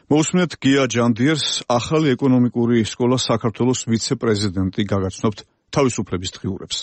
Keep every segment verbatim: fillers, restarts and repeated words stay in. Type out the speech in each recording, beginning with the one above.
მოусმენთ გია ჯანდიერს, ახალი ეკონომიკური სკოლა საქართველოს ვიცე-პრეზიდენტი გაგაცნობთ თავისუფლების დღიურებს.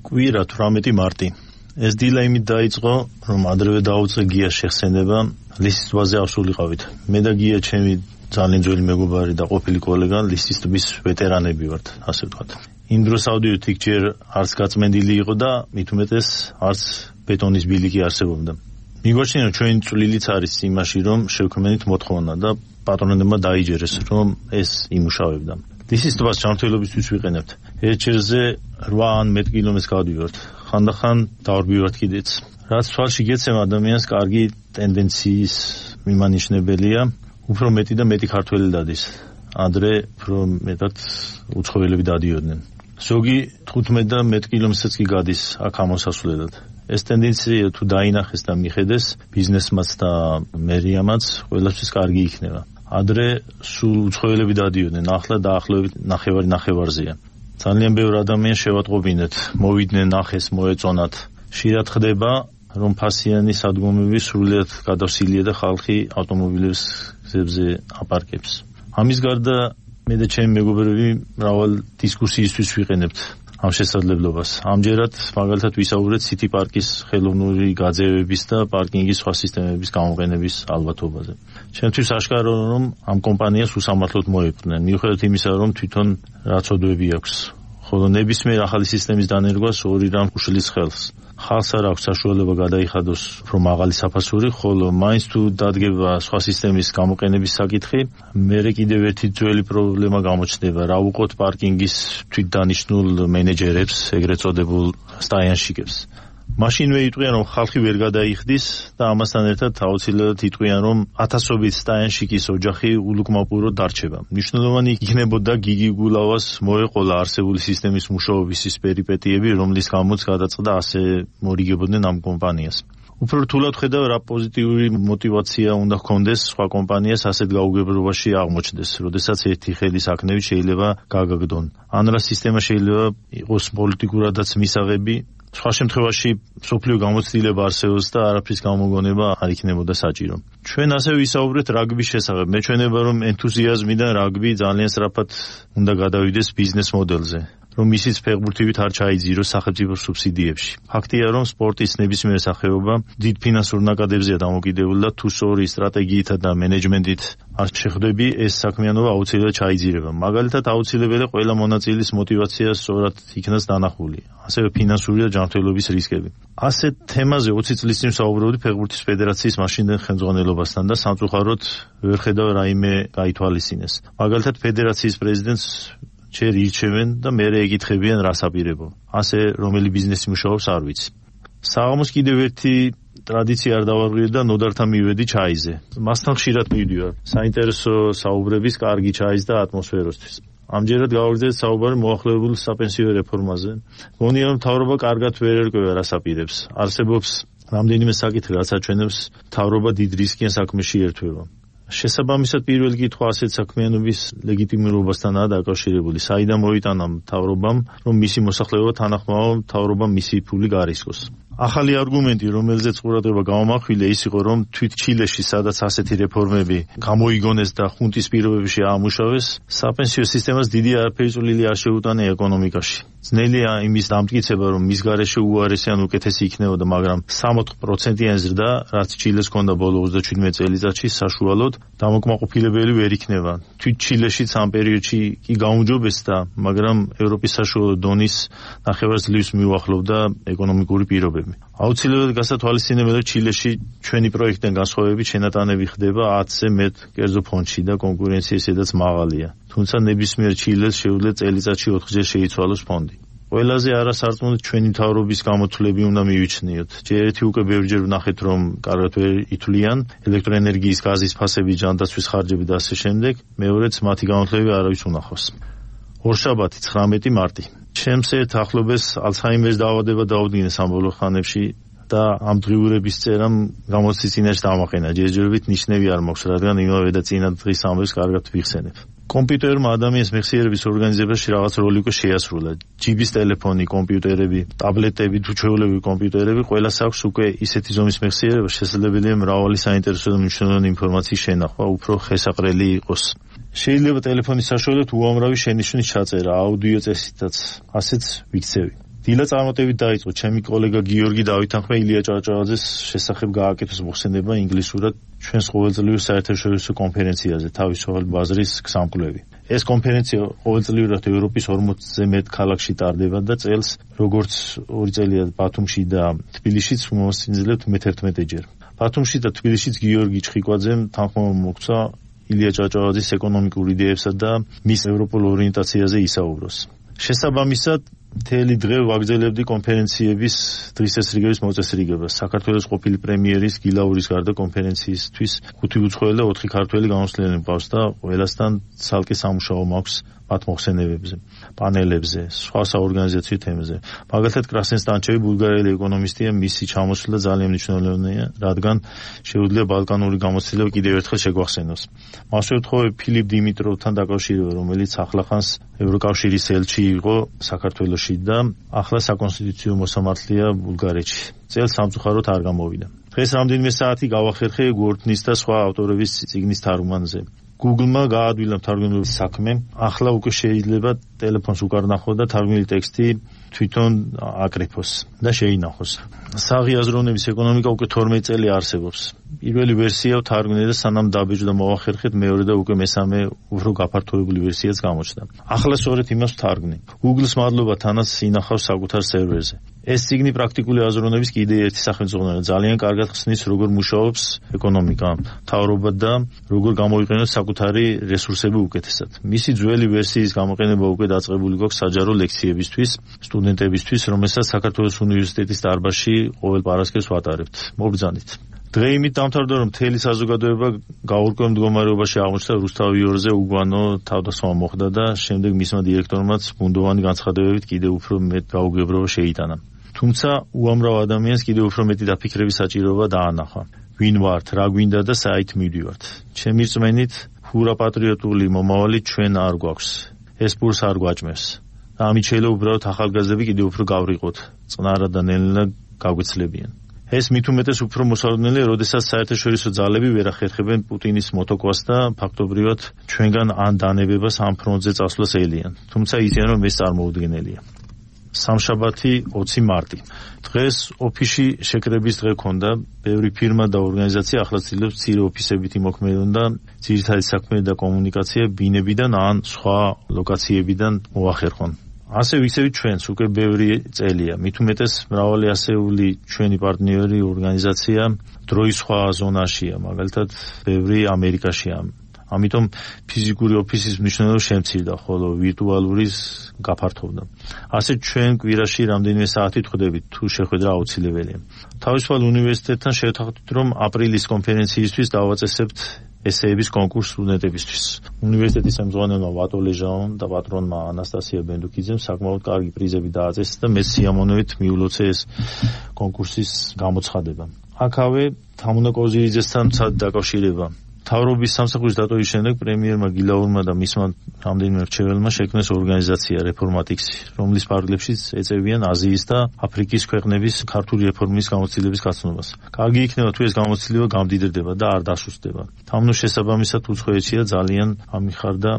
კვირა თვრამეტი მარტი. ეს დილა იმით დაიწყო, რომ ადრევე დაუწყე გიას შეხსენება, ლისის ტბაზე ავსულიყავით. მე და გია ჩემი ძალიან ძველი მეგობარი და ყოფილი კოლეგა, ლისის ტბის ვეტერანები ვართ, ასე ვთქვათ. იმ დროს ავდივით იქ ჯერ არც გაწმენდილი იყო და მით უმეტეს არც ბეტონის ბილიკი არსებობდა. მიგვაჩნია, რომ ჩვენი წვლილიც არის იმაში, რომ შევქმნით მოთხოვნა და პატრონებმა დაიჯერეს, რომ ეს იმუშავებდა. ლისის ტბას ჯანმრთელობისთვის ვიყენებთ. ერთჯერზე რვა ან მეტ კილომეტრს გავდივართ. ხანდახან დავარბივართ კიდეც. რაც თვალში გეცემა ადამიანს კარგი ტენდენციის მიმანიშნებელია, უფრო მეტი და მეტი ქართველი დადის. ადრე უფრო მეტად უცხოელები დადიოდნენ. ზოგი თხუთმეტ და მეტ კილომეტრსაც კი გადის აქ ამოსასვლელად. ეს ტენდენცია თუ დაინახეს და მიხედეს ბიზნესმაც და მერიამაც ყველასთვის კარგი იქნება. ადრე სულ უცხოელები დადიოდნენ, ახლა დაახლოებით ნახევარი ნახევარზეა. ძალიან ბევრი ადამიანი შევატყობინეთ, მოვიდნენ, ნახეს, მოეწონათ. ხშირად ხდება, რომ ფასიანი სადგომები სრულიად გადავსილია და ხალხი ავტომობილებს გზებზე აპარკებს. ამის გარდა მე და ჩემი მეგობრები მრავალ დისკუსიისთვის ვიყენებთ ამ შესაძლებლობას. ამჯერად მაგალითად ვისაუბრეთ სიტი პარკის ხელოვნური გაძევების და პარკინგის სხვა სისტემების გამოყენების ალბათობაზე. ჩემთვის აშკარაა, რომ ამ კომპანიას უსამართლოდ მოეპყრნენ, მიუხედავად იმისა, რომ თვითონ რაცოდვები აქვს. ხოლო ნებისმიერ ახალი სისტემის დანერგვას ორი რამ უშლის ხელს. ხალხს არ აქვს საშუალება გადაიხადოს უფრო მაღალი საფასური, ხოლო მაინც თუ დადგება სხვა სისტემის გამოყენების საკითხი, მერე კიდევ ერთი ძველი პრობლემა გამოჩნდება, რა უყოთ პარკინგის თვითდანიშნულ მენეჯერებს, ეგრეთ წოდებულ სტაიანშიკებს. მაშინვე იტყვიან, რომ ხალხი ვერ გადაიხდის და ამასთან ერთად აუცილებლად იტყვიან, რომ ათასობით სტაიანშიკის ოჯახი ულუკმაპუროდ დარჩება. მნიშვნელოვანი იქნებოდა გიგი გულავას მოეყოლა არსებული სისტემის მუშაობის ის პერიპეტიები, რომლის გამოც გადაწყდა ასე მორიგებოდნენ ამ კომპანიას. უფრო რთულად ხედავ, რა პოზიტიური мотиваცია უნდა ჰქონდეს სხვა კომპანიას ასეთ გაუგებრობაში აღმოჩნდეს, როდესაც ერთი ხელის აქნევით შეიძლება გაგაგდონ. ან რა სისტემა შეიძლება იყოს პოლიტიკურადაც მისაღები, სხვა შემთხვევაში სოფლიო გამოცდილება არსებობს და არაფრის გამოგონება არ იქნებოდა საჭირო. ჩვენ ასევე ვისაუბრეთ რაგბის შესახებ. მეჩვენება, რომ ენთუზიაზმიდან რაგბი ძალიან სწრაფად უნდა გადავიდეს ბიზნეს მოდელზე, რომ ისიც ფეხბურთივით არ ჩაიძიროს სახელმწიფო სუბსიდიებში. ფაქტია, რომ სპორტის ნებისმიერ სახეობა დიდ ფინანსურ ნაკადებზეა დამოკიდებული და თუ სწორი სტრატეგიითა და მენეჯმენტით არ შეხვდები, ეს საქმიანობა აუცილებლად ჩაიძირება. მაგალითად, აუცილებელია ყველა მონაწილის мотиваცია სწორად იქნას დანახული. ასევე ფინანსური და ჯანმრთელობის რისკები. ასეთ თემაზე ოცი წლის წინ ვსაუბრობდი ფეხბურთის ფედერაციის მაშინდელ ხელმძღვანელობასთან და სამწუხაროდ ვერ ხედავ რაიმე გაითვალისწინეს. მაგალითად, ფედერაციის პრეზიდენტს ჯერ ირჩევენ და მერე ეკითხებიან რას აპირებო. ასე რომელი ბიზნესი მუშაობს არ ვიცი. საღამოს კიდევ ერთი ტრადიცია არ დავარღვიე და ნოდართან მივედი ჩაიზე. მასთან ხშირად მივდივარ. საინტერესო საუბრების, კარგი ჩაის და ატმოსფეროსთვის. ამჯერად გავაგრძელეთ საუბარი მოახლოებულ საპენსიო რეფორმაზე. გონია, რომ მთავრობა კარგად ვერ ერკვევა რას აპირებს. არსებობს რამდენიმე საკითხი, რაც აჩვენებს მთავრობა დიდ რისკიან საქმეში ერთვება. შესაბამისად პირველი კითხვა ასეთ საქმიანობის ლეგიტიმურობასთანაა დაკავშირებული. საიდან მოიტანა მთავრობამ, რომ მისი მოსახლეობა თანახმაო მთავრობამ მისი ფული გარისკოს. ახალი არგუმენტი, რომელზეც ყურადღება გამომახვილე, ის იყო, რომ თვით ჩილეში, სადაც ასეთი რეფორმები გამოიგონეს და ხუნტის პირობებში აამუშავეს, საპენსიო სისტემას დიდი არაფერი წვლილი არ შეუტანა ეკონომიკაში. ძნელია იმის დამტკიცება, რომ მის გარეშე უარესი ან უკეთესი იქნებოდა, მაგრამ სამოთხ პროცენტიანი ზრდა, რაც ჩილეს ჰქონდა ბოლო ოცდაშვიდმეტ წელიწადში, საშუალოდ დამოკმაყოფილებელი ვერ იქნება. თვით ჩილეშიც ამ პერიოდში კი გაუმჯობესდა, მაგრამ ევროპის საშუალო დონის ნახევარძლივს მიუახლოვდა ეკონომიკური პირობები. აუცილებლად გასათვალისწინებელია, ჩილეში ჩვენი პროექტიდან განსხვავებით შენატანები ხდება ათზე მეტ კერძო ფონდში და კონკურენცია ისედაც მაღალია. თუმცა ნებისმიერ ჩილეს შეუძლია წელიწადში ოთხჯერ შეიცვალოს ფონდი. ყველაზე არასარწმუნოდ ჩვენი მთავრობის გამოთვლები უნდა მივიჩნიოთ. ჯერ ერთი უკვე ბევრჯერ ვნახეთ, რომ კარგად ვერ ითვლიან ელექტროენერგიის, გაზის ფასები, ჯანდაცვის ხარჯები და ასე შემდეგ. მეორეც მათი გამოთვლები არავის უნახავს. ორშაბათი ცხრამეტი მარტი. ჩემს ერთ ახლობელს ალცჰაიმერის დაავადება დაუდგინეს ამ ბოლო ხანებში და ამ დღიურების წერამ გამოცდის წინაშე დამაყენა. ჯერჯერობით ნიშნები არ მაქვს, რადგან იმავე და წინა დღის ამბებს კარგად ვიხსენებ. კომპიუტერმა ადამიანის მეხსიერების ორგანიზებაში რაღაც როლი უკვე შეასრულა. ჯიბის ტელეფონი, კომპიუტერები, ტაბლეტები, თუ ჩვეულებრივი კომპიუტერები, ყველას აქვს უკვე ისეთი ზომის მეხსიერება, შესაძლებელია მრავალი საინტერესო და მნიშვნელოვანი ინფორმაციის შენახვა, უფრო ხესაყრელი იყოს. შეიძლება ტელეფონის საშუალებით უამრავი შენიშვნის ჩაწერა, აუდიო წესითაც, ასეც ვიქცევი. დილა წარმატებით დაიწყო ჩემი კოლეგა გიორგი დავითანხმე ილია ჭავჭავაძეს შესახებ გააკეთოს მოხსენება ინგლისურად ჩვენს ყოველწლიურ საერთაშორისო კონფერენციაზე თავისუფალი ბაზრის გზამკვლევი. ეს კონფერენცია ყოველწლიურად ევროპის ორმოცზე მეტ ქალაქში ტარდება და წელს როგორც ორი წელია ბათუმში და თბილისშიც მომასწინებთ მეთერთმეტე ჯერ. ბათუმში და თბილისშიც გიორგი ჩხიკვაძემ თანხმობა მოგცა ილია ჭავჭავაძის ეკონომიკურ იდეებსა და მის ევროპულ ორიენტაციაზე ისაუბროს. შესაბამისად მთელი დღე ვაგრძელებდი კონფერენციების დღის წესრიგების მოწესრიგებას. საქართველოს ყოფილი პრემიერის გილაურის გარდა კონფერენციისთვის ხუთი უცხოელი და ოთხი ქართველი გამოსვლელი მყავს და ყველასთან ცალკე სამუშაო მაქვს მათ მოხსენებებზე, პანელებზე, სხვა საორგანიზაციო თემებზე. მაგალითად, კრასენ სტანჩევი ბულგარელი ეკონომისტია, მისი ჩამოსვლა ძალიან მნიშვნელოვანია, რადგან შეუძლია ბალკანური გამოცდილება კიდევ ერთხელ შეგვახსენოს. მასვე ვთხოვე ფილიპ დიმიტროვთან დაკავშირება, რომელიც ახლახანს ევროკავშირის ელჩი იყო საქართველოში და ახლა საკონსტიტუციო მოსამართლეა ბულგარეთში. წელს სამწუხაროდ არ გამოვიდა. დღეს რამდენიმე საათი გავახერხე გორთნის და სხვა ავტორების წიგნის თარგმანზე. Google-მა გაადვილა თარგმნილის საქმე, ახლა უკვე შეიძლება ტელეფონს უკარ ნახო და თარგმნილი ტექსტი თვითონ აკრიფოს და შეინახოს. საღი აზროვნების ეკონომიკა უკვე თორმეტი წელი არსებობს. პირველი ვერსია ვთარგმნე და სანამ დაბეჭდა და მოვახერხეთ, მეორე და უკვე მესამე უფრო გაფართოებული ვერსიაც გამოჩნდა. ახლა სწორედ იმას ვთარგმნი. Google-ს მადლობა თანაც ინახავს საკუთარ სერვერზე. ეს ციგნი პრაქტიკული აზროვნების კიდე ერთი სახელმწიფოა, ძალიან კარგად ხსნის როგორ მუშაობს ეკონომიკა, მთავრობა და როგორ გამოიყენოს საკუთარი რესურსები უკეთესად. მისი ძველი ვერსიის გამოყენება უკვე დაწყებული გვაქვს საჯარო ლექციებისთვის, სტუდენტებისთვის, რომელსაც საქართველოს უნივერსიტეტის დარბაზში ყოველ პარასკევს ვატარებთ. მობრძანით. დღე იმით დამთავრდა, რომ მთელი საზოგადოება გაურკვეველ მდგომარეობაში აღმოჩნდა რუსთავ იორზე უგვანო თავდასხმა მოხდა და შემდეგ მისმა დირექტორმაც ბუნდოვანი განცხადებებით კიდევ უფრო მეტ გაუგებრობა შეიტანა. თუმცა უამრავ ადამიანს კიდევ უფრო მეტი დაფიქრების საჭიროება დაანახა. ვინ ვართ, რა გვინდა და საით მივდივართ. ჩემი რწმენით, ხურა პატრიოტული მომავალი ჩვენ არ გვაქვს. ეს პურს არ გვაჭმევს. და ამით შეიძლება უბრალოდ ახალგაზრდები კიდევ უფრო გავრიყოთ, წყნარად და ნელ-ნელა გაგვეცლებიან. ეს მით უმეტეს უფრო მოსალოდნელია, როდესაც საერთაშორისო ძალები ვერ ახერხებენ პუტინის მოტოკვას და ფაქტობრივად ჩვენგან ან დანებებას ამ ფრონტზე წასვლას ელიან. თუმცა იციან, რომ ეს წარმოუდგენელია. სამშაბათი ოცი მარტი. დღეს ოფისში შეკრების დღე ქონდა. ბევრი ფირმა და ორგანიზაცია ახლა ცდილობს მცირე ოფისებით იმოქმედონ და ძირითადი საქმე და კომუნიკაცია ბინებიდან ან სხვა ლოკაციებიდან მოახერხონ. ასე ვიქცევით ჩვენს უკვე ბევრი წელია. მით უმეტეს მრავალი ასეული ჩვენი პარტნიორი ორგანიზაცია დროის სხვა ზონაშია, მაგალითად ბევრი ამერიკაშია. ამიტომ ფიზიკური ოფისის მნიშვნელობა შემცირდა, ხოლო ვირტუალურის გაფართოვდა. ასე ჩვენ კვირაში რამდენიმე საათით ხვდებით, თუ შეხვედრა აუცილებელია. თავისუფალ უნივერსიტეტთან შევთანხმდით, რომ აპრილის კონფერენციისთვის დავაწესებთ ესეების კონკურსს სტუდენტებისთვის. უნივერსიტეტის ხელმძღვანელმა ვატო ლეჟაომ და პატრონმა ანასტასია ბენდუკიძემ საკმაოდ კარგი პრიზები დააწესეს და მე სიამოვნებით მიულოცე ეს კონკურსის გამოცხადება. აქავე თამუნა კოზირიძესთან მცად დაკავშირება. მთავრობის სამსახურის დატოვის შემდეგ პრემიერმა გილაურმა და მისმა რამდენიმე მრჩეველმა შექმნეს ორგანიზაცია რეფორმატიქსი, რომლის ფარგლებშიც ეწევიან აზიის და აფრიკის ქვეყნების ქართული რეფორმის გამოცდილების გაცნობას. კარგი იქნება თუ ეს გამოცდილება გამდიდრდება და არ დასუსტდება. თამნოს შესაბამისად უცხოეთშია ძალიან ამიხარდა,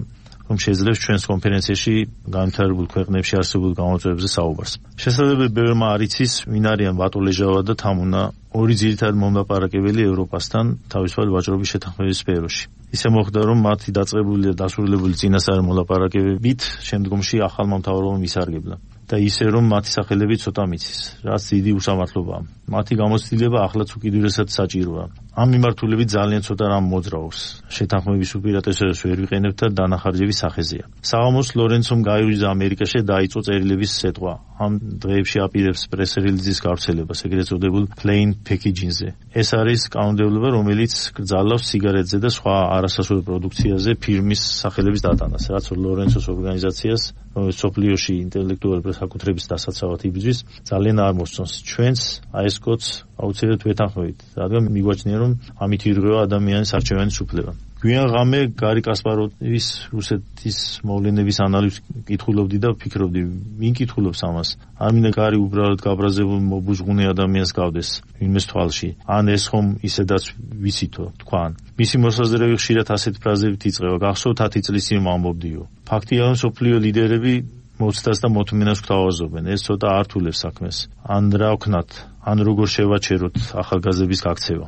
რომ შეძლებს ჩვენს კონფერენციაში განვითარებულ ქვეყნებში არსებულ გამოწვევებზე საუბარს. შესაძლებელი ბევრმა არ იცის, ვინ არიან ვატო ლეჟავა და თამუნა, ორი ძირითადი მომლაპარაკებელი ევროპასთან თავისუფალი ვაჭრობის შეთანხმების სფეროში. ისე მოხდა, რომ მათი დაწყებული და დასრულებული წინასწარი მოლაპარაკებებით შემდგომში ახალმა მთავრობამ ისარგებლა და ისე რომ მათი სახელები ცოტა მიცის, რაც დიდი უსამართლობაა. მათი გამოცდილება ახლაც უკიდურესად საჭიროა. ამ მიმართულებით ძალიან ცოტა რამ მოძრაობს. შეთანხმების უპირატესობას ვერ ვიყენებთ და დანახარჯების სახეზეა. საღამოს ლორენცომ გაივიდა ამერიკაში და დაიწყო წერილების სეტყვა. ამ დღეებში აპირებს პრეს-რელიზის გავრცელებას, ეგრეთ წოდებულ plain packaging-ზე. ეს არის კანონმდებლობა, რომელიც კრძალავს სიგარეტზე და სხვა არასასურველ პროდუქციაზე ფირმის სახელების დატანას, რაც ლორენცოს ორგანიზაციას, რომელიც სოფლიოში ინტელექტუალური საკუთრების დასაცავად იბრძვის, ძალიან არ მოსწონს. ჩვენც, აი ეს კოდს აუცილებლად ვეთანხმებით, რადგან მიგვაჩნია, რომ ამით ირღვევა ადამიანის არჩევანის უფლება. გვიან ღამე გარი კასპაროვის რუსეთის მოვლენების ანალიზს კითხულობდი და ვფიქრობდი, ვინ კითხულობს ამას? არ მინდა გარი უბრალოდ გაბრაზებულ მობუზღუნე ადამიანს გავდეს ვინმეს თვალში. ან ეს ხომ ისედაც ვიცითო, თქვან. მისი მოსაზრები ხშირად ასეთ ფრაზებით იწყება, გახსოვთ ათი წლის წინ ვამბობდიო. ფაქტია, რომ სოფლიო ლიდერები მოცდას და მოთმინას გვთავაზობენ, ეს ცოტა ართულებს საქმეს. ან რა ვქნათ, ან როგორ შევაჩეროთ ახალგაზრდების გაქცევა.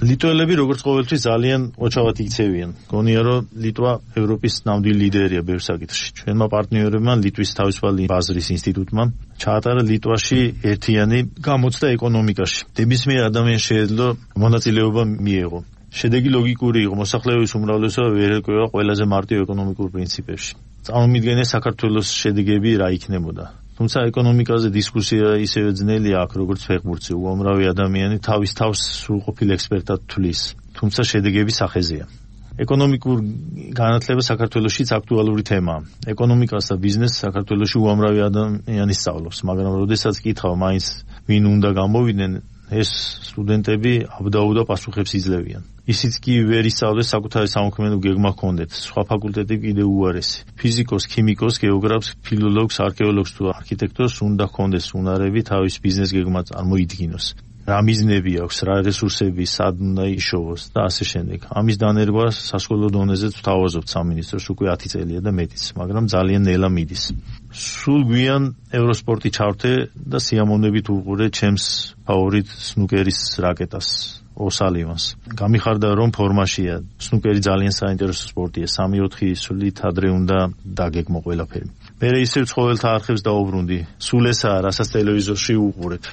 ლიტველები როგორც ყოველთვის ძალიან ოჩავად იქცევიან. გონია, რომ ლიტვა ევროპის ნამდვილი ლიდერია ბევრ საკითხში. ჩვენმა პარტნიორებმა ლიტვის თავისუფალი ბაზრის ინსტიტუტმა ჩაატარა ლიტვაში ერთიანი გამოცდა ეკონომიკაში. ნებისმიერ ადამიანს შეეძლო მონაწილეობა მიეღო. შედეგი ლოგიკური იყო, მოსახლეობის უმრავლესობა ვერ ეკევა ყველაზე მარტივ ეკონომიკურ პრინციპებში. წარმომიდგენია საქართველოს შედეგები რა იქნებოდა. თუმცა ეკონომიკაზე დისკუსია ისევე ძნელია აქ, როგორც ფეხბურთზე. უამრავი ადამიანი თავის თავს სრულყოფილ ექსპერტად თვლის, თუმცა შედეგები სახეზეა. ეკონომიკურ განათლება საქართველოშიც აქტუალური თემაა. ეკონომიკას და ბიზნესს საქართველოში უამრავი ადამიანი სწავლობს, მაგრამ როდესაც კითხავ მაინც ვინ უნდა გამოვიდნენ, ეს სტუდენტები აბდაუდა პასუხებს იძლევიან. ისიც კი ვერ ისწავლეს საკუთარი სამოქმედო გეგმა ჰქონდეთ. სხვა ფაკულტეტები კიდევ უარესი. ფიზიკოს, ქიმიკოს, გეოგრაფს, ფილოლოგს, არქეოლოგს თუ არქიტექტორს უნდა ჰქონდეს უნარები თავის ბიზნეს გეგმა წარმოიდგინოს. რა მიზნები აქვს, რა რესურსები, სად უნდა იშოვოს და ასე შემდეგ. ამის დანერგვა სასკოლო დონეზეც ვთავაზობთ სამინისტროს უკვე ათი წელია და მეტიც, მაგრამ ძალიან ნელა მიდის. სულ გვიან ევროსპორტი ჩავრთე და სიამოვნებით ვუყურე ჩემს ფავორიტ სნუკერის რაკეტას. ოსალივანს. გამიხარდა, რომ ფორმაშია. სნუკერი ძალიან საინტერესო სპორტია. სამი ოთხი სულით ადრე უნდა დაგეგმო ყველაფერი. მე ისევ ცხოველთა არხებს დაუბრუნდი. სულ ესაა, რასაც ტელევიზორში უყურებ.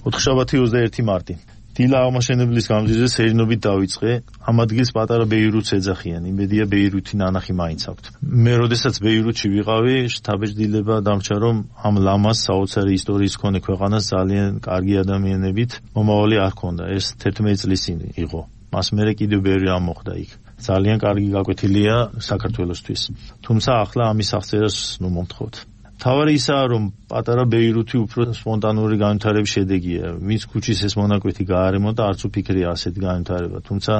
ოთხშაბათი ოცდაერთი მარტი. დილა აღმაშენებლის გამზირზე სერინობით დავიწყე. ამ ადგილს პატარა ბეირუთს ეძახიან. იმედია ბეირუთი ნანახი მაინც აქვთ. მე როდესაც ბეირუთში ვიყავი, შთაბეჭდილება დამრჩა, რომ ამ ლამას საოცარი ისტორიის მქონე ქვეყანას ძალიან კარგი ადამიანებით მომავალი არ ჰქონდა. ეს თერთმეტი წლის წინ იყო. მას მერე კიდევ ბევრი რამ მოხდა იქ. ძალიან კარგი გაკვეთილია საქართველოსთვის. თუმცა ახლა ამის აღწერას ნუ მომთხოვთ. თავარი ისაა, რომ პატარა ბეირუთი უფრო სპონტანური განვითარების შედეგია. ვინც ქუჩის ეს მონაკვეთი გაარემონტა, არც უფიქრია ასეთი განვითარება. თუმცა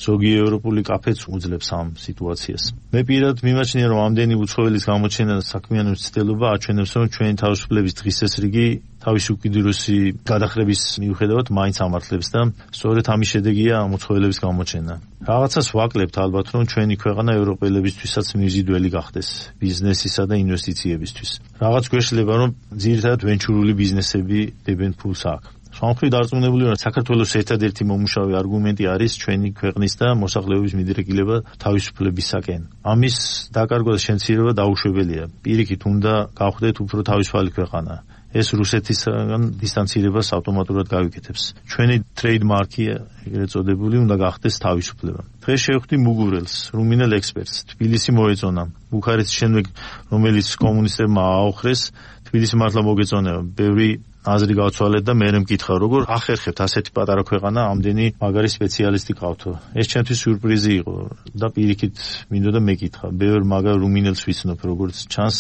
ზოგი ევროპული კაფეც უძლებს ამ სიტუაციას. მე პირადად მიმაჩნია, რომ ამდენი უცხოელის გამოჩენა და საქმიანობის ცდელობა აჩვენებს, რომ ჩვენი თავისუფლების დღის წესრიგი თავისი უკიდურესი გადახრების მიუხედავად მაინც ამართლებს და სწორედ ამის შედეგია ამ უცხოელების გამოჩენა. რაღაცას ვაკლებთ ალბათ, რომ ჩვენი ქვეყანა ევროპელებისთვისაც მიზიდველი გახდეს ბიზნესისა და ინვესტიციებისთვის. რაღაც გვეშლება, რომ ძირითადად ვენჩურული ბიზნესები დებენ ფულს აქ. სამხრეთ დარწმუნებული ვარ, საქართველოს ერთადერთი მომუშავე არგუმენტი არის ჩვენი ქვეყნის და მოსახლეობის მიდრეკილება თავისუფლებისაკენ. ამის დაკარგვა და შემცირება დაუშვებელია. პირიქით უნდა გავხდეთ უფრო თავისუფალი ქვეყანა. ეს რუსეთისგან დისტანცირებას ავტომატურად გავიკეთებს. ჩვენი ტრეიდმარკი, ეგრეთ წოდებული, უნდა გახდეს თავისუფლება. დღეს შევხვდი მუგურელს, რუმინელ ექსპერტს. თბილისი მოეწონა. ბუქარესტის შემდეგ, რომელიც კომუნისტებმა ააოხრეს, თბილისი მართლა მოგეწონება. ბევრი აზრი გავცვალეთ და მე მკითხა, როგორ ახერხებთ ასეთი პატარა ქვეყანა ამდენი მაგარი სპეციალისტი ყავთო. ეს ჩემთვის სიურპრიზი იყო და პირიქით მინდოდა მეკითხა. ბევრ მაგარ რუმინელს ვიცნობ, როგორც ჩანს,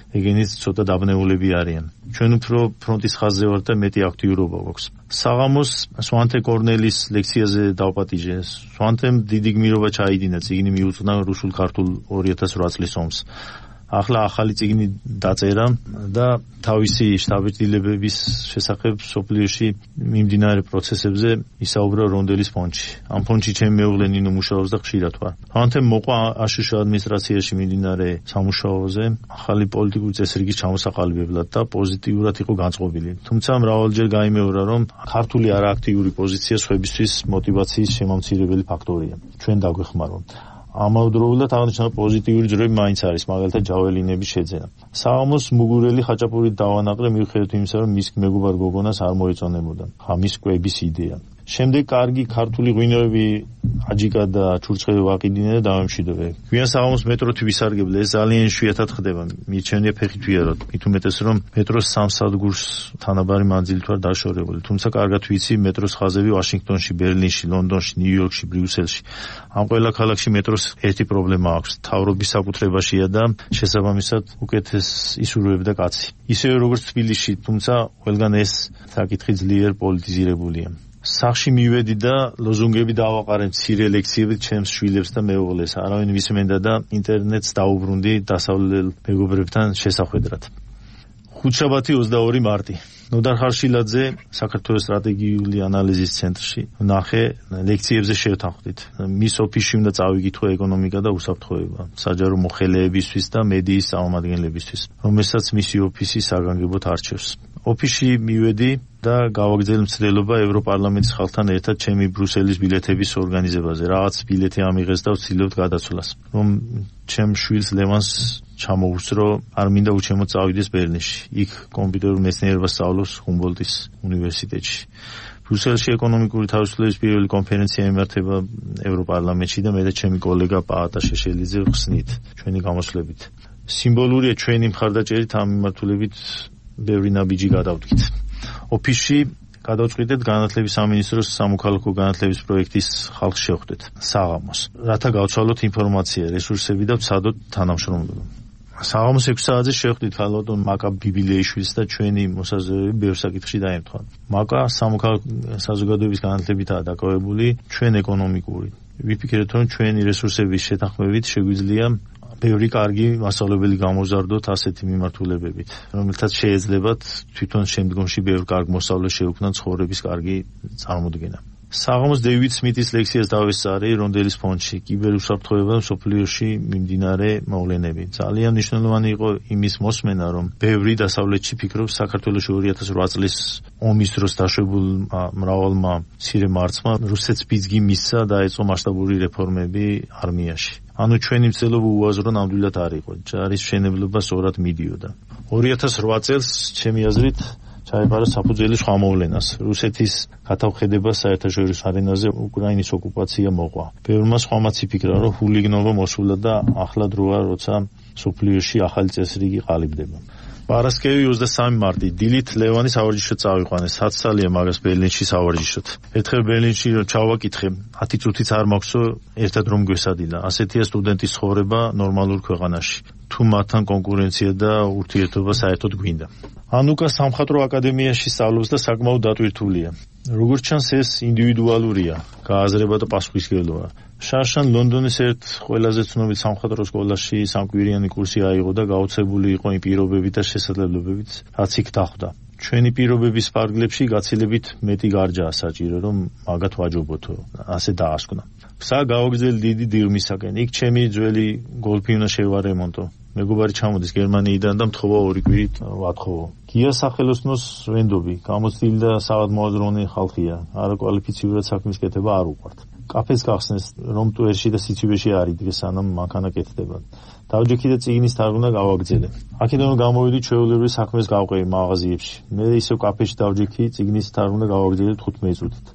ეგენიც ცოტა დაბნეულები არიან. ჩვენ უფრო ფრონტის ხაზზე ვართ და მეტი აქტიურობა გვაქვს. საღამოს სვანტე კორნელის ლექციაზე დავპატიჟე. სვანტემ დიდი გმირობა ჩაიდინა, წიგნი მიუძღვნა რუსულ-ქართულ ორი ათას ოთხ წლის ომს. ახლა ახალი წიგნი დაწერა და თავისი შთაბეჭდილებების შესახებ სოფლიოში მიმდინარე პროცესებზე ისაუბრა რონდელის ფონდში. ამ ფონდში ჩემი მეუღლე ნინო მუშაობს და ხშირად ვარ. ანთემ მოყვა აშშ ადმინისტრაციაში მიმდინარე სამუშაოზე ახალი პოლიტიკური წესრიგის ჩამოსაყალიბებლად და პოზიტიურად იყო განწყობილი. თუმცა მრავალჯერ გაიმეორა, რომ ქართული არააქტიური პოზიცია სხვებისთვის მოტივაციის შემამცირებელი ფაქტორია. ჩვენ დაგვეხმაროთ. ამავდროულად აღნიშნული პოზიტიური ძროები მაინც არის, მაგალითად ჯაველინების შეძენა. საღამოს მუგურელი ხაჭაპურით დავანაყრე, მიუხედავად იმისა, რომ მის მეგობარ გოგონას არ მოეწონებოდა ხამის კვების იდეა. შემდეგ კარგი ქართული ღვინოები აჯიკა და ჩურჩხელი ვაყიდინე და დავემშვიდობე. გვიან საღამოს მეტროთი ვისარგებლე, ეს ძალიან იშვიათად ხდება. მიჩვენია ფეხით ვიაროთ. მით უმეტეს რომ მეტროს სამ სადგურს თანაბარი მანძილით ვარ დაშორებული. თუმცა კარგად ვიცი მეტროს ხაზები ვაშინგტონში, ბერლინში, ლონდონში, ნიუ-იორკში, ბრიუსელში. ამ ყველა ქალაქში მეტროს ერთი პრობლემა აქვს. მთავრობის საკუთრებაშია და შესაბამისად უკეთეს ისურვებდა კაცი. ისევე როგორც თბილისში, თუმცა ყველგან ეს საკითხი ძლიერ პოლიტიზირებულია. სახში მივედი და ლოზუნგები დავაყარე მცირე ლექციებით ჩემს შვილებს და მეუღლეს. არავინ ვისმენდა და ინტერნეტს დაუბრუნდი დასავლელ მეგობრებთან შესახვედრად. ხუთშაბათი ოცდაორი მარტი. ნოდარ ხარშილაძე საქართველოს სტრატეგიული ანალიზის ცენტრში ნახე ლექციებზე შევთანხმდით. მის ოფისში უნდა წავიკითხო ეკონომიკა და უსაფრთხოება, საჯარო მოხელეებისთვის და მედიის წარმომადგენლებისთვის, რომელსაც მისი ოფისი საგანგებოდ არჩევს. ოფისში მივედი და გავაგრძელ მცდელობა ევროპარლამენტის ხალხთან ერთად ჩემი ბრუსელის ბილეთების ორგანიზებაზე. რაღაც ბილეთი ამიღეს და ვცდილობთ გადაცვლას, რომ ჩემ შვილს ლევანს ჩამოუსწრო, არ მინდა უჩემოდ წავიდეს ბერლინში. იქ კომპიუტერულ მეცნიერებას სწავლობს ჰუმბოლდტის უნივერსიტეტში. ბრუსელში ეკონომიკური თავისუფლების პირველი კონფერენცია იმართება ევროპარლამენტში და მე და ჩემი კოლეგა პაატა შეშელიძე ხსნით ჩვენი გამოსვლებით. სიმბოლურია ჩვენი მხარდაჭერით ამ მიმართულებით ბევრი ნაბიჯი გადავდგით. ოფისში გადავწყვიტეთ განათლების სამინისტროს სამოქალაქო განათლების პროექტის ხალხს შევხვდეთ საღამოს, რათა გავცვალოთ ინფორმაცია, რესურსები და ვცადოთ თანამშრომლობა. საღამოს ექვსი საათზე შევხვდით ქალბატონ მაკა ბიბილეიშვილს და ჩვენი მოსაზრებები ბევრ საკითხში დაემთხვა. მაკა სამოქალაქო საზოგადოების განათლებითაა დაკავებული, ჩვენ ეკონომიკური. ვიფიქრეთ, რომ ჩვენი რესურსების შეთანხმებით შეგვიძლია ბევრი კარგი მასწავლებელი გამოვზარდოთ ასეთი მიმართულებებით, რომელთაც შეეძლებათ თვითონ შემდგომში ბევრ კარგ მოსწავლეს შეუქმნან ცხოვრების კარგი წარმოდგენა. საღამოს დეივიდ სმითის ლექციას დავესწარი რონდელის ფონდში, კიბერუსაფრთხოება და მსოფლიოში მიმდინარე მოვლენები. ძალიან მნიშვნელოვანი იყო იმის მოსმენა, რომ ბევრი დასავლეთში ფიქრობს საქართველოში ორი ათას ოთხ წლის ომის დროს დაშვებულ მრავალმა მცირე მარცხმა რუსეთს ბიძგი მისცა და დაეწყო მასშტაბური რეფორმები არმიაში. ანუ ჩვენი მცდელობა უაზრო ნამდვილად არ იყო. ჯარის მშენებლობა სწორად მიდიოდა. ორი ათას ოთხ წელს ჩემი აზრით ჩაეყარა საფუძველი სხვა მოვლენას. რუსეთის გათავხედება საერთაშორისო არენაზე უკრაინის ოკუპაცია მოყვა. ბევრმა სხვამაც იფიქრა, რომ ჰულიგნობა მოსულა და ახლა დროა, როცა სოფლიოში ახალი წესრიგი ყალიბდება. პარასკევი ოცდასამი მარტი. დილით ლევანის სავარჯიშოდ წავიყვანე. ათი წელია მაგას ბერლინში სავარჯიშოდ. ერთხელ ბერლინში ჩავაკითხე, ათი წუთიც არ მაქვს, ერთად რომ გვესადილა. ასეთია სტუდენტის ცხოვრება ნორმალურ ქვეყანაში. თუ მათთან კონკურენცია და ურთიერთობა საერთოდ გვინდა. ანუკა სამხატვრო აკადემიაში სწავლობს და საკმაოდ დატვირთულია. როგორც ჩანს, ეს ინდივიდუალურია, გააზრება და პასუხისმგებლობა. შარშან ლონდონის ერთ ყველაზე ცნობილ სამხატვრო სკოლაში სამკვირიანი კურსი აიღო და გაოცებული იყო იმ პირობებით და შესაძლებლობებით, რაც იქ დახვდა. ჩვენი პირობების ფარგლებში გაცილებით მეტი გარჯაა საჭირო, რომ მაგათ ვაჯობოთო, ასე დაასკვნა. გზა გავაგრძელი დიდი დიღმისაკენ. იქ ჩემი ძველი გოლფი უნდა შევარემონტო. მეგობარი ჩამოდის გერმანიიდან და მთხოვა ორი კვირით ვათხოვო. გია სახელოსნოს ვენდობი, გამოცდილი და საავადმოაზროვნე ხალხია. არაკვალიფიცირებად საქმის კეთება არ უყვართ. კაფეს გახსნეს, რომ ტუერში და სიცივეში არ იდგეს, სანამ მანქანა კეთდება. დავჯექი და წიგნის თარგმნა გავაგრძელე. აქედან გამოვიდი ჩვეულებრივ საქმეს გავყევი მაღაზიებში. მე ისევ კაფეში დავჯექი, წიგნის თარგმნა გავაგრძელე თხუთმეტ წუთით.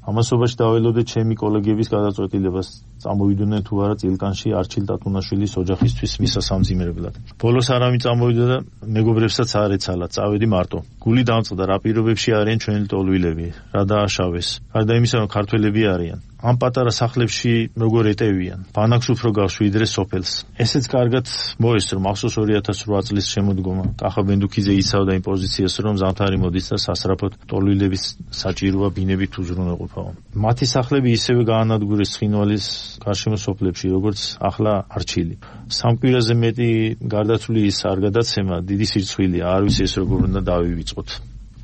ამასობაში დაველოდე ჩემი კოლეგების გადაწყვეტილებას, წამოვიდნენ თუ არა წილკანში არჩილ ტატუნაშვილის ოჯახისთვის მისასამძიმებლად. ბოლოს არავინ წამოვიდა და მეგობრებსაც არ ეცალა, წავედი მარტო. გული დამწყდა, რა პირობებში არიან ჩვენი ტოლვილები, რა დააშავეს. გარდა იმისა, რომ ქართველები არიან. ამ პატარა სახლებში როგორ ეტევიან, ბანაკს უფრო გავს ვიდრე სოფელს. ესეც კარგად მოესწრო, მახსოვს ორი ათას ოთხ წლის შემოდგომა. კახა ბენდუქიძე იცავდა იმ პოზიციას, რომ ზამთარი მოდის და სასწრაფოდ ტოლვილების საჭიროა ბინებით უზრუნველყოფაო. მათი სახლები ისევე გაანადგურეს ცხინვალის გარშემო სოფლებში, როგორც ახლა არჩილი. სამ კვირაზე მეტი გარდაცვლის არ გადაცემა დიდი სირცხვილია, არ ვიცი ეს როგორ უნდა დავივიწყოთ.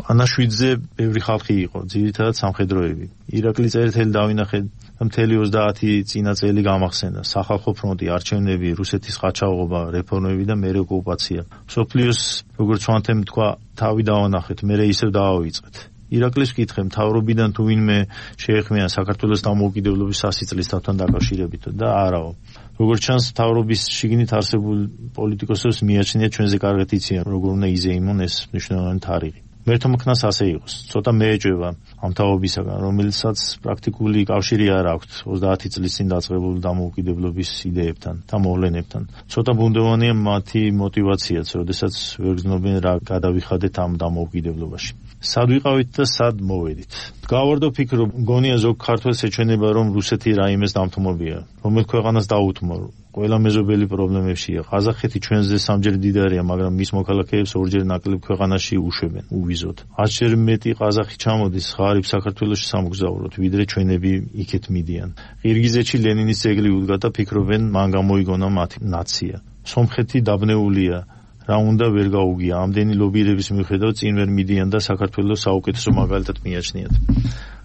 ანაშვიდზე ბევრი ხალხი იყო, ძირითადად სამხედროები. ირაკლი წერეთელი დავინახე და მთელი ოცდაათი წინა წელი გამახსენდა. სახალხო ფრონტი, არჩევნები, რუსეთის ყაჩაღობა, რეფორმები და მერე ოკუპაცია. მსოფლიოს, როგორც ვანთემ თქვა, თავი დავანახეთ, მერე ისევ დავავიწყეთ. ირაკლის ვკითხე, მთავრობიდან თუ ვინმე შეეხმიან საქართველოს დამოუკიდებლობის სასწრაფთან დაკავშირებით და არაო. როგორც ჩანს, მთავრობის შიგნით არსებულ პოლიტიკოსებს მიაჩნია ჩვენზე კარგად იციან, როგორ უნდა იზეიმონ ეს მნიშვნელოვანი თარიღი. მერთომქნას ასე იყოს. ცოტა მეეჭვება ამ თაობისაგან, რომელსაც პრაქტიკული კავშირი არ აქვს ოცდაათი წლის წინ დაწყებული დამოუკიდებლობის იდეებთან და მოვლენებთან. ცოტა ბუნდოვანია მათი мотиваციაც, როდესაც ვერ გრძნობენ რა გადავიხადეთ ამ დამოუკიდებლობაში. სად ვიყავით და სად მოვედით. გავარდო ფიქრო, მგონია ზოგ ქართველს ეჩვენება, რომ რუსეთი რაიმეს დამთმობია, რომელ ქვეყანას დაუთმო. ყველა მეზობელი პრობლემებშია. ყაზახეთი ჩვენზე სამჯერ დიდარია, მაგრამ მის მოქალაქეებს ორჯერ ნაკლებ ქვეყანაში უშვებენ უვიზოდ. ათჯერ მეტი ყაზახი ჩამოდის ღარიბ საქართველოში სამგზავროდ, ვიდრე ჩვენები იქეთ მიდიან. ყირგიზეთში ლენინის ძეგლი უდგა და ფიქრობენ, მან გამოიგონა მათი ნაცია. სომხეთი დაბნეულია. რა უნდა ვერ გაუგია. ამდენი ლობირების მიუხედავად წინ ვერ მიდიან და საქართველოს საუკეთესო მაგალითად მიაჩნიათ.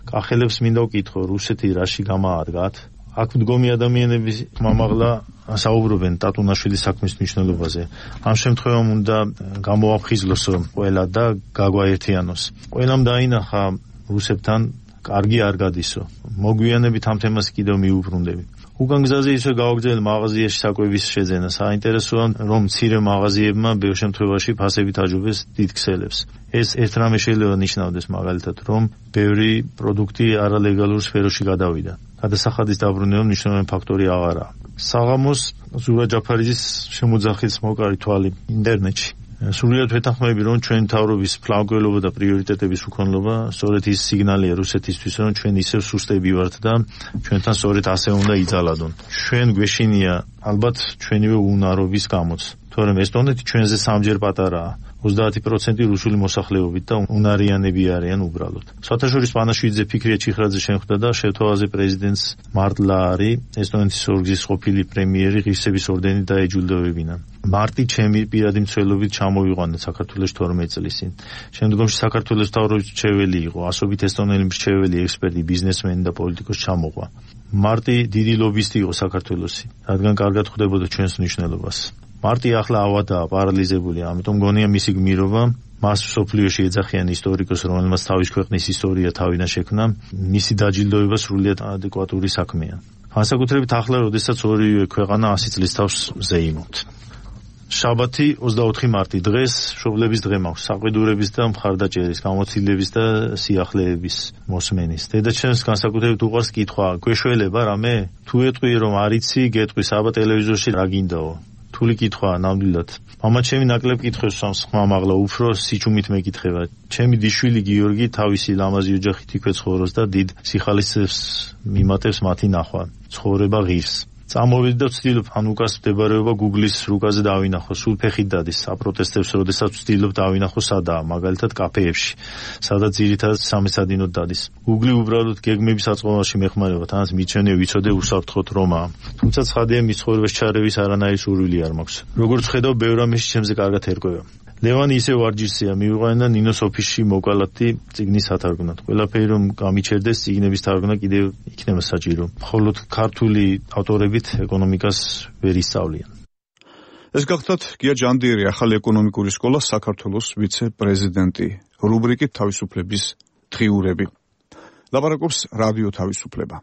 კახელებს მინდა ვკითხო, რუსეთი რაში გამაადგათ? აქ მდგომი ადამიანების მამაღლა საუბრობენ ტატუნაშვილის საქმის მნიშვნელობაზე. ამ შემთხვევამ უნდა გამოაფხიზლოს ყველა და გაგვაერთიანოს. ყველამ დაინახა რუსებთან კარგი არ გადისო. მოგვიანებით ამ თემას კიდევ მიუბრუნდები. უკან გზაზე ისე გავაგზავნე მაღაზიაში საკვების შეძენა. საინტერესოა, რომ მცირე მაღაზიებმა ბევრ შემთხვევაში ფასებით აჯობეს დიდ ქსელებს. ეს ერთ რამე შეიძლება ნიშნავდეს, მაგალითად, რომ ბევრი პროდუქტი არალეგალურ სფეროში გადავიდა. გადასახადის დაბრუნება მნიშვნელოვანი ფაქტორი აღარაა. საღამოს ზურა ჯაფარიძის შემოძახის მოკარი თვალი ინტერნეტში. სრულიად ვეთანხმები, რომ ჩვენ მთავრობის ფლანგველობა და პრიორიტეტების უქონლობა სწორედ ის სიგნალია რუსეთისთვის, რომ ჩვენ ისევ სუსტები ვართ და ჩვენთან სწორედ ასე უნდა იძალადონ. ჩვენ გვეშინია ალბათ ჩვენივე უნარობის გამოც, თორემ ესტონეთი ჩვენზე სამჯერ პატარაა. ოცდაათი პროცენტი რუსული მოსახლეობით და უნარიანები არიან უბრალოდ. საერთაშორის პანაშვიძე ფიქრია ჩიხრაძე შემხვდა და შევთავაზე პრეზიდენტს მარტლარი, ესტონეთის ორგზის ყოფილი პრემიერი ღირსების ორდენით დაეჯილდოვებინა. მარტი ჩემი პირადი მცველობით ჩამოვიყვანა საქართველოს თორმეტ წლის წინ. შემდგომში საქართველოს მთავრობის მრჩეველი იყო, ასობით ესტონელი მრჩეველი, ექსპერტი, ბიზნესმენი და პოლიტიკოსი ჩამოყვა. მარტი დიდი ლობისტი იყო საქართველოსი, რადგან კარგად ხვდებოდა ჩვენს მნიშვნელობას. მარტი ახლა ავადაა, პარალიზებული, ამიტომ გონია მისი გმირობა, მას სოფლიოში ეძახიან ისტორიკოს, რომელმაც თავის ქვეყნის ისტორია თავიდან შექმნა, მისი დაჯილდოება სრულიად ადეკვატური საქმეა. განსაკუთრებით ახლა, როდესაც ორივე ქვეყანა ასი წლის თავს ზეიმობთ. შაბათი ოცდაოთხი მარტი დღეს მშობლების დღე მაქვს, საყვედურების და მხარდაჭერის, გამოცდილების და სიახლეების მოსმენის. დედაჩემს განსაკუთრებით უყვარს კითხვა, გვეშველება რამე? თუ ეტყვი რომ არ იცი, გეტყვი საბა ტელევიზორში რა გინდაო? თული კითხვაა ნამდვილად. მამა ჩემი ნაკლებ კითხავს სამს ხმამაღლა, უფრო სიჩუმით მეკითხება. ჩემი დიშვილი გიორგი თავისი ლამაზი ოჯახით იქვე ცხოვრობს და დიდ სიხალისებს მიმატებს მათი ნახვა. ცხოვრება ღირს. წამოვედი და ვცდილობ ანუკას მდებარეობა Google-ის რუკაზე დავინახო, სულ ფეხით დადის, აპროტესტებს, როდესაც ვცდილობ დავინახო სადაა, მაგალითად კაფეებში, სადაც ძირითადად სამესადინოდ დადის. Google უბრალოდ გეგმების აწყობაში მეხმარება, თანაც მიჩვენე ვიცოდე უსაფრთხოდ რომაა. თუმცა ცხადია, მის ცხოვრებას ჩარევის არანაირი სურვილი არ მაქვს. როგორც ხედავ, ბევრ რამეში ჩემზე კარგად ერკვევა. ლევანი ისევ ვარჯიშია, მივიყვანა ნინოს ოფისში მოკალათი წიგნის სათარგმნად. ყველაფერი რომ გამიჩერდეს, წიგნების თარგმნა კიდევ იქნება საჭირო. მხოლოდ ქართული ავტორებით ეკონომიკას ვერ ისწავლიან. ეს გახლდათ გია ჯანდიერი, ახალი ეკონომიკური სკოლა საქართველოს ვიცე-პრეზიდენტი. რუბრიკით თავისუფლების დღიურები. ლაპარაკობს რადიო თავისუფლება.